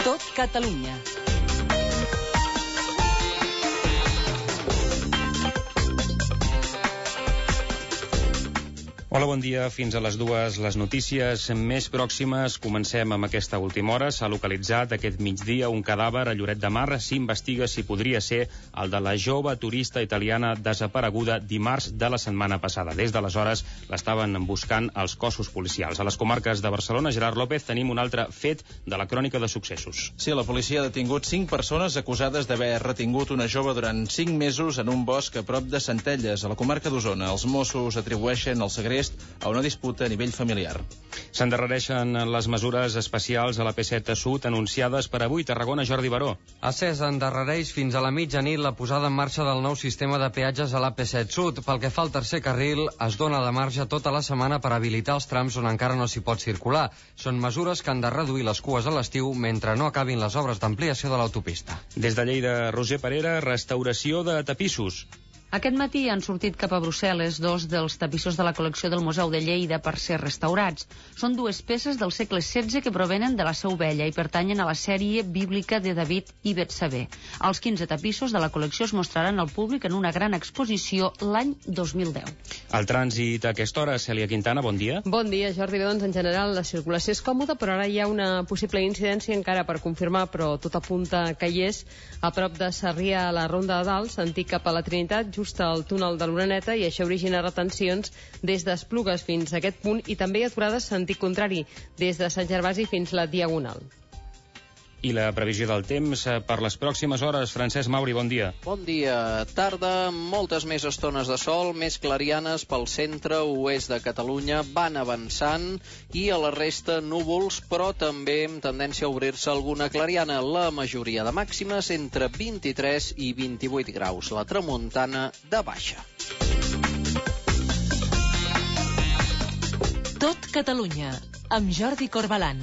Tot Catalunya. Hola, bon dia. Fins a les 2, les notícies més pròximes. Comencem amb aquesta última hora. S'ha localitzat aquest migdia un cadàver a Lloret de Mar. S'investiga si podria ser el de la jove turista italiana desapareguda dimarts de la setmana passada. Des d'aleshores l'estaven buscant els cossos policials. A les comarques de Barcelona, Gerard López, tenim un altre fet de la crònica de successos. Sí, la policia ha detingut 5 persones acusades d'haver retingut una jove durant 5 mesos en un bosc a prop de Centelles, a la comarca d'Osona. Els Mossos atribueixen el segrest a una disputa a nivell familiar. S'endarrereixen les mesures especials a la P7 Sud anunciades per avui. Tarragona, Jordi Baró. ACES endarrereix fins a la mitjanit la posada en marxa del nou sistema de peatges a la P7 Sud. Pel que fa al tercer carril, es dona de marge tota la setmana per habilitar els trams on encara no s'hi pot circular. Són mesures que han de reduir les cues a l'estiu mentre no acabin les obres d'ampliació de l'autopista. Des de Lleida, Roger Parera, restauració de tapissos. Aquest matí han sortit cap a Brussel·les 2 dels tapissos de la col·lecció del Museu de Lleida per ser restaurats. Són 2 peces del segle XVI que provenen de la Seu Vella i pertanyen a la sèrie bíblica de David i Betsabé. Els 15 tapissos de la col·lecció es mostraran al públic en una gran exposició l'any 2010. El trànsit a aquesta hora, Cèlia Quintana, bon dia. Bon dia, Jordi. Doncs en general la circulació és còmoda, però ara hi ha una possible incidència encara per confirmar, però tot apunta que hi és a prop de Sarrià a la Ronda de Dalt, sentit cap a la Trinitat, just al túnel de l'Oreneta, i això origina retencions des d'Esplugues fins a aquest punt i també aturades sentit contrari des de Sant Gervasi fins la Diagonal. I la previsió del temps per les pròximes hores. Francesc Mauri, bon dia. Bon dia. Tarda, moltes més estones de sol, més clarianes pel centre-oest de Catalunya, van avançant, i a la resta núvols, però també amb tendència a obrir-se alguna clariana. La majoria de màximes entre 23 i 28 graus. La tramuntana de baixa. Tot Catalunya, amb Jordi Corbalan.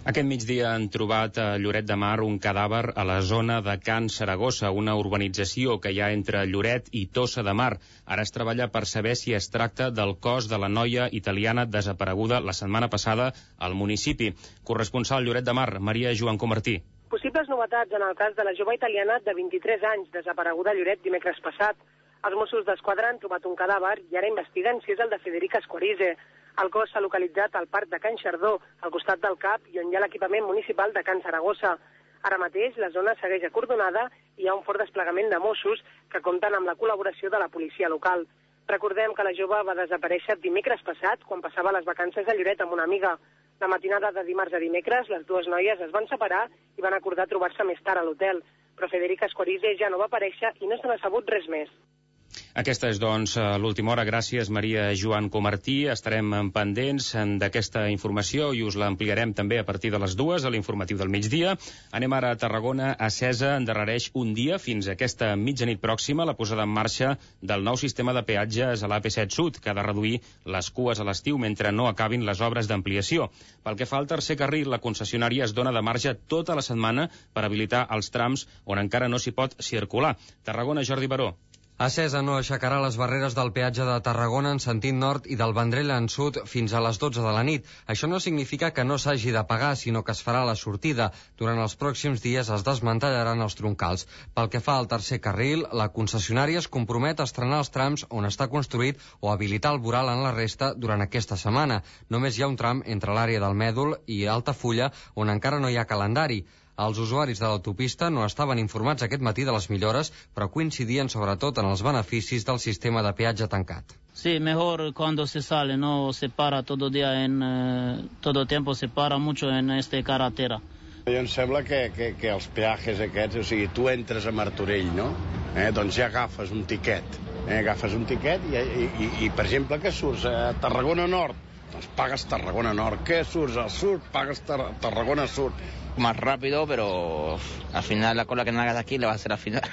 Aquest migdia han trobat a Lloret de Mar un cadàver a la zona de Can Saragossa, una urbanització que hi ha entre Lloret i Tossa de Mar. Ara es treballa per saber si es tracta del cos de la noia italiana desapareguda la setmana passada al municipi. Corresponsal Lloret de Mar, Maria Joan Comartí. Possibles novetats en el cas de la jove italiana de 23 anys desapareguda a Lloret dimecres passat. Els Mossos d'Esquadra han trobat un cadàver i ara investiguen si és el de Federica Esquarize. El cos s'ha localitzat al parc de Can Xardó, al costat del CAP, i on hi ha l'equipament municipal de Can Saragossa. Ara mateix la zona segueix acordonada i hi ha un fort desplegament de Mossos que compten amb la col·laboració de la policia local. Recordem que la jove va desaparèixer dimecres passat quan passava les vacances a Lloret amb una amiga. La matinada de dimarts a dimecres, les 2 noies es van separar i van acordar trobar-se més tard a l'hotel. Però Federica Esquarize ja no va aparèixer i no se n'ha sabut res més. Aquesta és, doncs, l'última hora. Gràcies, Maria Joan Comartí. Estarem pendents d'aquesta informació i us l'ampliarem també a partir de les 2 a l'informatiu del migdia. Anem ara a Tarragona. Acesa endarrereix un dia fins a aquesta mitjanit pròxima la posada en marxa del nou sistema de peatges a l'AP7 Sud, que ha de reduir les cues a l'estiu mentre no acabin les obres d'ampliació. Pel que fa al tercer carril, la concessionària es dona de marge tota la setmana per habilitar els trams on encara no s'hi pot circular. Tarragona, Jordi Baró. Acesa no aixecarà les barreres del peatge de Tarragona en sentit nord i del Vendrell en sud fins a les 12 de la nit. Això no significa que no s'hagi de pagar, sinó que es farà la sortida. Durant els pròxims dies es desmantellaran els troncals. Pel que fa al tercer carril, la concessionària es compromet a estrenar els trams on està construït o habilitar el voral en la resta durant aquesta setmana. Només hi ha un tram entre l'àrea del Mèdol i Altafulla on encara no hi ha calendari. Els usuaris de l'autopista no estaven informats aquest matí de les millores, però coincidien sobretot en els beneficis del sistema de peatge tancat. Sí, mejor cuando se sale, no se para todo día todo tiempo se para mucho en esta carretera. Jo em sembla que els peatges aquests, o sigui, tu entres a Martorell, no? Doncs ja agafes un tiquet. Agafes un tiquet i, per exemple, que surts a Tarragona Nord, doncs pagues Tarragona Nord. Que surts al sud, pagues Tarragona Sud. Más rápido, pero al final la cola que no hagas aquí le va a hacer al final.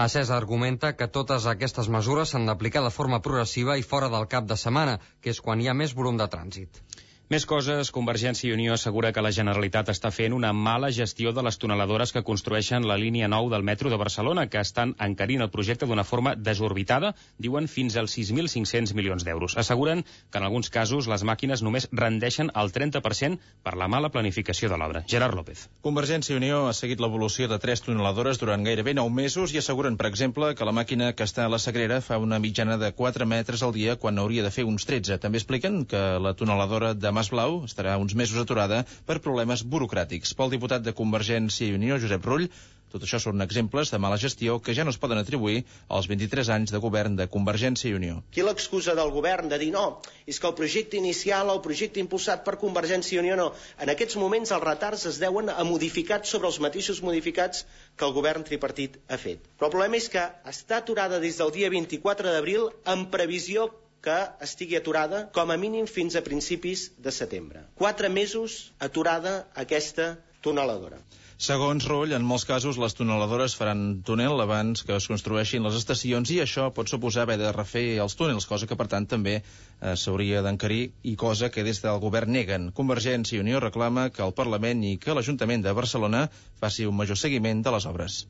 Acesa argumenta que totes aquestes mesures s'han d'aplicar de forma progressiva i fora del cap de setmana, que és quan hi ha més volum de trànsit. Més coses, Convergència i Unió assegura que la Generalitat està fent una mala gestió de les tuneladores que construeixen la línia 9 del metro de Barcelona, que estan encarint el projecte d'una forma desorbitada, diuen fins als 6.500 milions d'euros. Asseguren que en alguns casos les màquines només rendeixen el 30% per la mala planificació de l'obra. Gerard López. Convergència i Unió ha seguit l'evolució de 3 tuneladores durant gairebé 9 mesos i asseguren, per exemple, que la màquina que està a la Sagrera fa una mitjana de 4 metres al dia quan hauria de fer uns 13. També expliquen que la tuneladora de Masblau estarà uns mesos aturada per problemes burocràtics. Pel diputat de Convergència i Unió, Josep Rull, tot això són exemples de mala gestió que ja no es poden atribuir als 23 anys de govern de Convergència i Unió. Aquí l'excusa del govern de dir no, és que el projecte inicial, el projecte impulsat per Convergència i Unió no. En aquests moments els retards es deuen a modificats sobre els mateixos modificats que el govern tripartit ha fet. Però el problema és que està aturada des del dia 24 d'abril en previsió que estigui aturada com a mínim fins a principis de setembre. 4 mesos aturada aquesta tuneladora. Segons Rull, en molts casos les tuneladores faran túnel abans que es construeixin les estacions i això pot suposar haver de refer els túnels, cosa que per tant també s'hauria d'encarir i cosa que des del govern neguen. Convergència i Unió reclama que el Parlament i que l'Ajuntament de Barcelona faci un major seguiment de les obres.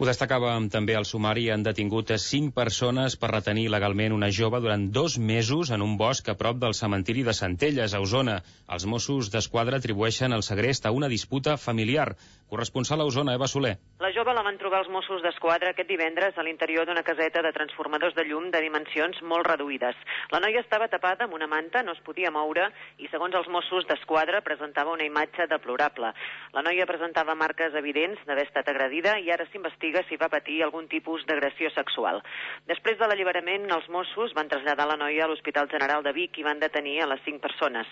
Ho destacàvem també al sumari, han detingut 5 persones per retenir legalment una jove durant 2 mesos en un bosc a prop del cementiri de Centelles, a Osona. Els Mossos d'Esquadra atribueixen el segrest a una disputa familiar. Corresponsal a Osona, Eva Soler. La jove la van trobar els Mossos d'Esquadra aquest divendres a l'interior d'una caseta de transformadors de llum de dimensions molt reduïdes. La noia estava tapada amb una manta, no es podia moure i, segons els Mossos d'Esquadra, presentava una imatge deplorable. La noia presentava marques evidents d'haver estat agredida i ara s'investiga si va patir algun tipus d'agressió sexual. Després de l'alliberament, els Mossos van traslladar la noia a l'Hospital General de Vic i van detenir a les 5 persones.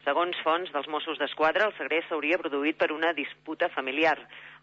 Segons fonts dels Mossos d'Esquadra, el segrest s'hauria produït per una disputa familiar.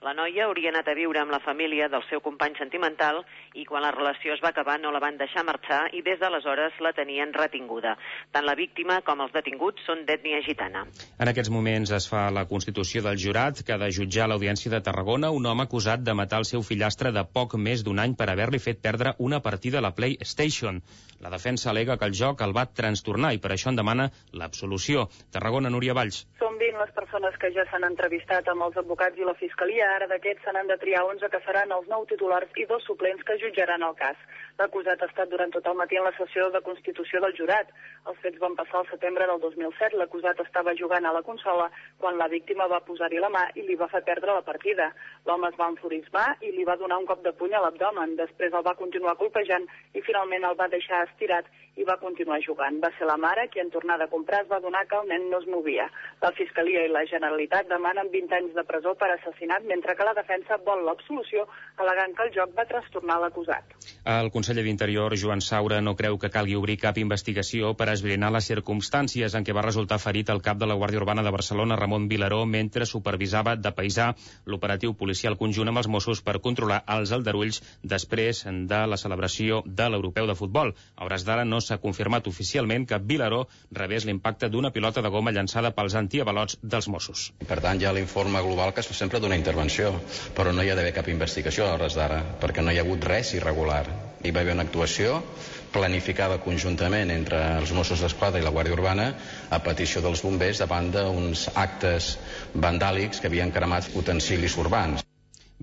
La noia hauria anat a viure amb la família del seu company sentimental i quan la relació es va acabar no la van deixar marxar i des d'aleshores la tenien retinguda. Tant la víctima com els detinguts són d'ètnia gitana. En aquests moments es fa la constitució del jurat que ha de jutjar a l'Audiència de Tarragona un home acusat de matar el seu fillastre de poc més d'un any per haver-li fet perdre una partida a la PlayStation. La defensa al·lega que el joc el va trastornar i per això en demana l'absolució. Tarragona, Núria Valls. Són 20 les persones que ja s'han entrevistat amb els advocats i la Fiscalia. Ara d'aquests se n'han de triar 11 que seran els 9 titulars i 2 suplents que jutjaran el cas. L'acusat ha estat durant tot el matí en la sessió de constitució del jurat. Els fets van passar al setembre del 2007. L'acusat estava jugant a la consola quan la víctima va posar-hi la mà i li va fer perdre la partida. L'home es va enfurismar i li va donar un cop de puny a l'abdomen. Després el va continuar colpejant i finalment el va deixar estirat i va continuar jugant. Va ser la mare qui en tornar de comprar es va adonar que el nen no es movia. La Fiscalia i la Generalitat demanen 20 anys de presó per assassinat, mentre que la defensa vol l'absolució, al·legant que el joc va trastornar l'acusat. El conseller d'Interior, Joan Saura, no creu que calgui obrir cap investigació per esbrinar les circumstàncies en què va resultar ferit el cap de la Guàrdia Urbana de Barcelona, Ramon Vilaró, mentre supervisava de paisà l'operatiu policial conjunt amb els Mossos per controlar els aldarulls després de la celebració de l'Europeu de Futbol. A hores d'ara no s'ha confirmat oficialment que Vilaró rebés l'impacte d'una pilota de goma llançada pels antiavalots dels Mossos. Per tant, hi ha l'informe global que es fa sempre d'una intervenció, però no hi ha d'haver cap investigació a hores d'ara, perquè no hi ha hagut res irregular. Hi va haver una actuació planificada conjuntament entre els Mossos d'Esquadra i la Guàrdia Urbana a petició dels bombers davant d'uns actes vandàlics que havien cremat utensilis urbans.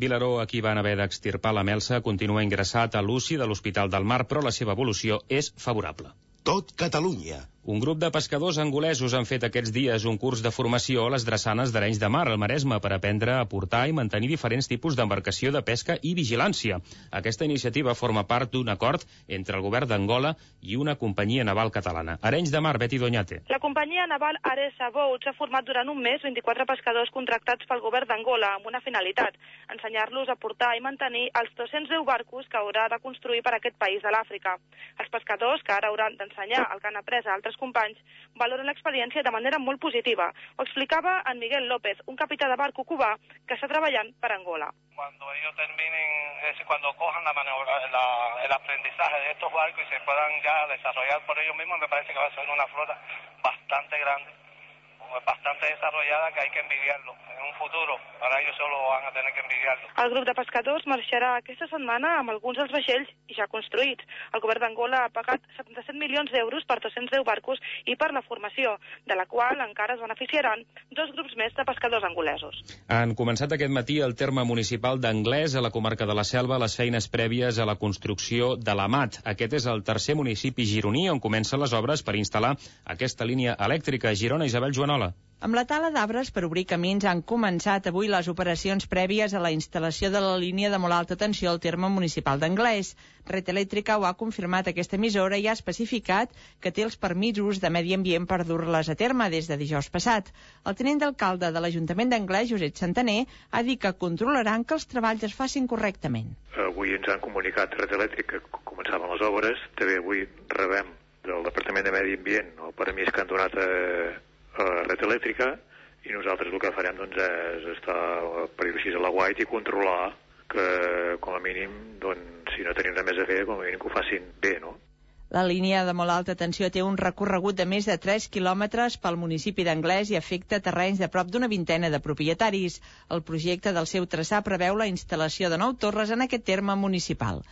Vilaró, a qui van haver d'extirpar la melsa, continua ingressat a l'UCI de l'Hospital del Mar, però la seva evolució és favorable. Tot Catalunya. Un grup de pescadors angolesos han fet aquests dies un curs de formació a les drassanes d'Arenys de Mar, al Maresme, per aprendre a portar i mantenir diferents tipus d'embarcació de pesca i vigilància. Aquesta iniciativa forma part d'un acord entre el govern d'Angola i una companyia naval catalana. Arenys de Mar, Betty Doñate. La companyia naval Aresa Boats ha format durant un mes 24 pescadors contractats pel govern d'Angola amb una finalitat, ensenyar-los a portar i mantenir els 210 barcos que haurà de construir per a aquest país de l'Àfrica. Els pescadors, que ara hauran d'ensenyar el que han après a altres companys, valoren l'experiència de manera molt positiva. Ho explicava en Miguel López, un capità de barco cubà que està treballant per Angola. Cuando ellos terminen, cuando cojan el aprendizaje de estos barcos y se puedan ya desarrollar por ellos mismos, me parece que va a ser una flota bastante grande, bastante desarrollada que hay que envidiarlo. En un futuro, para ellos solo van a tener que envidiarlo. El grup de pescadors marxarà aquesta setmana amb alguns dels vaixells ja construïts. El govern d'Angola ha pagat 77 milions d'euros per 210 barcos i per la formació, de la qual encara es beneficiaran 2 grups més de pescadors angolesos. Han començat aquest matí al terme municipal d'Anglès, a la comarca de la Selva, les feines prèvies a la construcció de l'Amat. Aquest és el tercer municipi gironí on comencen les obres per instal·lar aquesta línia elèctrica. Girona, Isabel Joanola. Amb la tala d'arbres per obrir camins han començat avui les operacions prèvies a la instal·lació de la línia de molt alta tensió al terme municipal d'Anglès. Red Elèctrica ho ha confirmat aquesta emissora i ha especificat que té els permisos de Medi Ambient per dur-les a terme des de dijous passat. El tinent d'alcalde de l'Ajuntament d'Anglès, Josep Santaner, ha dit que controlaran que els treballs es facin correctament. Avui ens han comunicat Red Elèctrica que començaven les obres. També avui rebem del Departament de Medi Ambient el permís que han donat a Red Elèctrica i nosaltres el que farem doncs, és estar per dir-ho així a l'aguait i controlar que com a mínim doncs, si no tenim res més a fer, com a mínim que ho facin bé, no? La línia de molt alta tensió té un recorregut de més de 3 quilòmetres pel municipi d'Anglès i afecta terrenys de prop d'una vintena de propietaris. El projecte del seu traçat preveu la instal·lació de 9 torres en aquest terme municipal.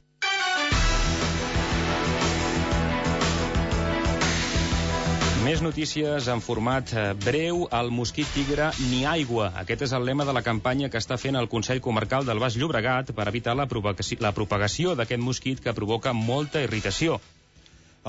Més notícies en format breu. El mosquit tigre ni aigua. Aquest és el lema de la campanya que està fent el Consell Comarcal del Baix Llobregat per evitar la propagació d'aquest mosquit que provoca molta irritació.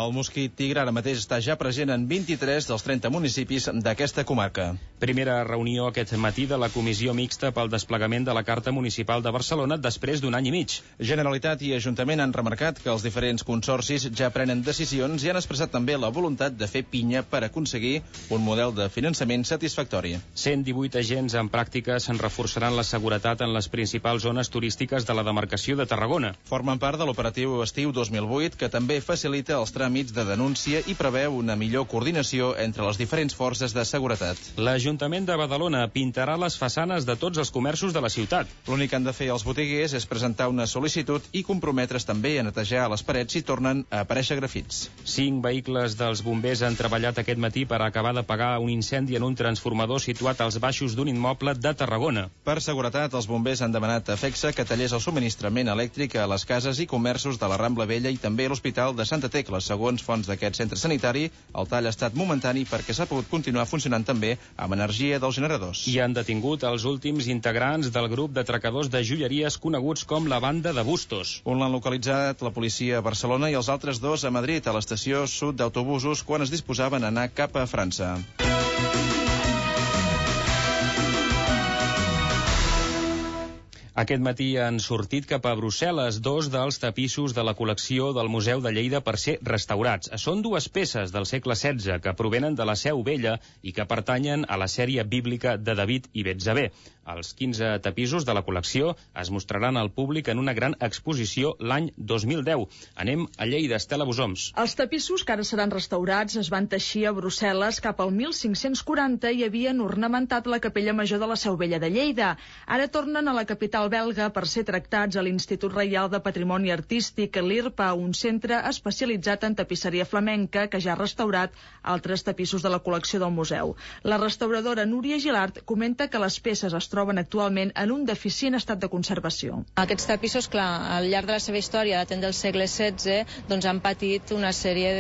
El mosquit tigre ara mateix està ja present en 23 dels 30 municipis d'aquesta comarca. Primera reunió aquest matí de la Comissió Mixta pel desplegament de la Carta Municipal de Barcelona després d'un any i mig. Generalitat i Ajuntament han remarcat que els diferents consorcis ja prenen decisions i han expressat també la voluntat de fer pinya per aconseguir un model de finançament satisfactori. 118 agents en pràctiques reforçaran la seguretat en les principals zones turístiques de la demarcació de Tarragona. Formen part de l'operatiu estiu 2008, que també facilita els tràmits de denúncia i preveu una millor coordinació entre les diferents forces de seguretat. L'Ajuntament de Badalona pintarà les façanes de tots els comerços de la ciutat. L'únic que han de fer els botiguers és presentar una sol·licitud i comprometre's també a netejar les parets si tornen a aparèixer grafits. 5 vehicles dels bombers han treballat aquest matí per acabar d'apagar un incendi en un transformador situat als baixos d'un immoble de Tarragona. Per seguretat, els bombers han demanat a FECSA que tallés el subministrament elèctric a les cases i comerços de la Rambla Vella i també a l'Hospital de Santa Tecla. Segons fonts d'aquest centre sanitari, el tall ha estat momentani perquè s'ha pogut continuar funcionant també amb energia dels generadors. I han detingut els últims integrants del grup d'atracadors de joieries coneguts com la Banda de Bustos. Un l'han localitzat la policia a Barcelona i els altres 2 a Madrid, a l'estació sud d'autobusos, quan es disposaven a anar cap a França. Aquest matí han sortit cap a Brussel·les 2 dels tapissos de la col·lecció del Museu de Lleida per ser restaurats. Són 2 peces del segle XVI que provenen de la Seu Vella i que pertanyen a la sèrie bíblica de David i Betsabé. Els 15 tapissos de la col·lecció es mostraran al públic en una gran exposició l'any 2010. Anem a Lleida, Estela Bosoms. Els tapissos que ara seran restaurats es van teixir a Brussel·les cap al 1540 i havien ornamentat la capella major de la Seu Vella de Lleida. Ara tornen a la capital belga per ser tractats a l'Institut Reial de Patrimoni Artístic, l'IRPA, un centre especialitzat en tapisseria flamenca que ja ha restaurat altres tapissos de la col·lecció del museu. La restauradora Núria Gilart comenta que les peces es troben actualment en un deficient estat de conservació. Aquests tapissos, clar, al llarg de la seva història, datant del segle XVI, doncs han patit una sèrie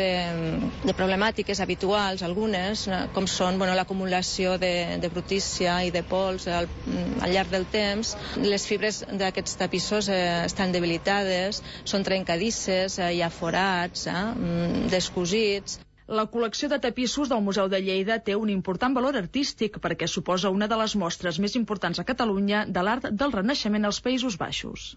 de problemàtiques habituals, algunes, com són l'acumulació de brutícia i de pols al llarg del temps. Les fibres d'aquests tapissos estan debilitades, són trencadisses, hi ha forats, descosits. La col·lecció de tapissos del Museu de Lleida té un important valor artístic perquè suposa una de les mostres més importants a Catalunya de l'art del Renaixement als Països Baixos.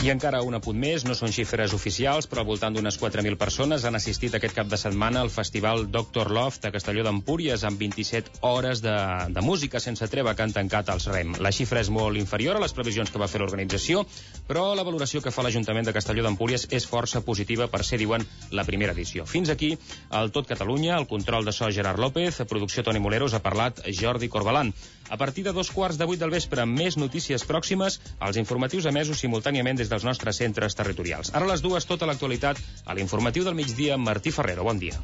I encara un apunt més, no són xifres oficials, però al voltant d'unes 4.000 persones han assistit aquest cap de setmana al festival Dr. Loft a Castelló d'Empúries amb 27 hores de música sense treva que han tancat els REM. La xifra és molt inferior a les previsions que va fer l'organització, però la valoració que fa l'Ajuntament de Castelló d'Empúries és força positiva per ser, diuen, la primera edició. Fins aquí, al Tot Catalunya, el control de so Gerard López, a producció Toni Moleros, ha parlat Jordi Corbalan. A partir de 7:15 del vespre, més notícies pròximes, els informatius emesos simultàniament des de dels nostres centres territorials. Ara a les 2, tota l'actualitat a l'informatiu del migdia amb Martí Ferrero. Bon dia.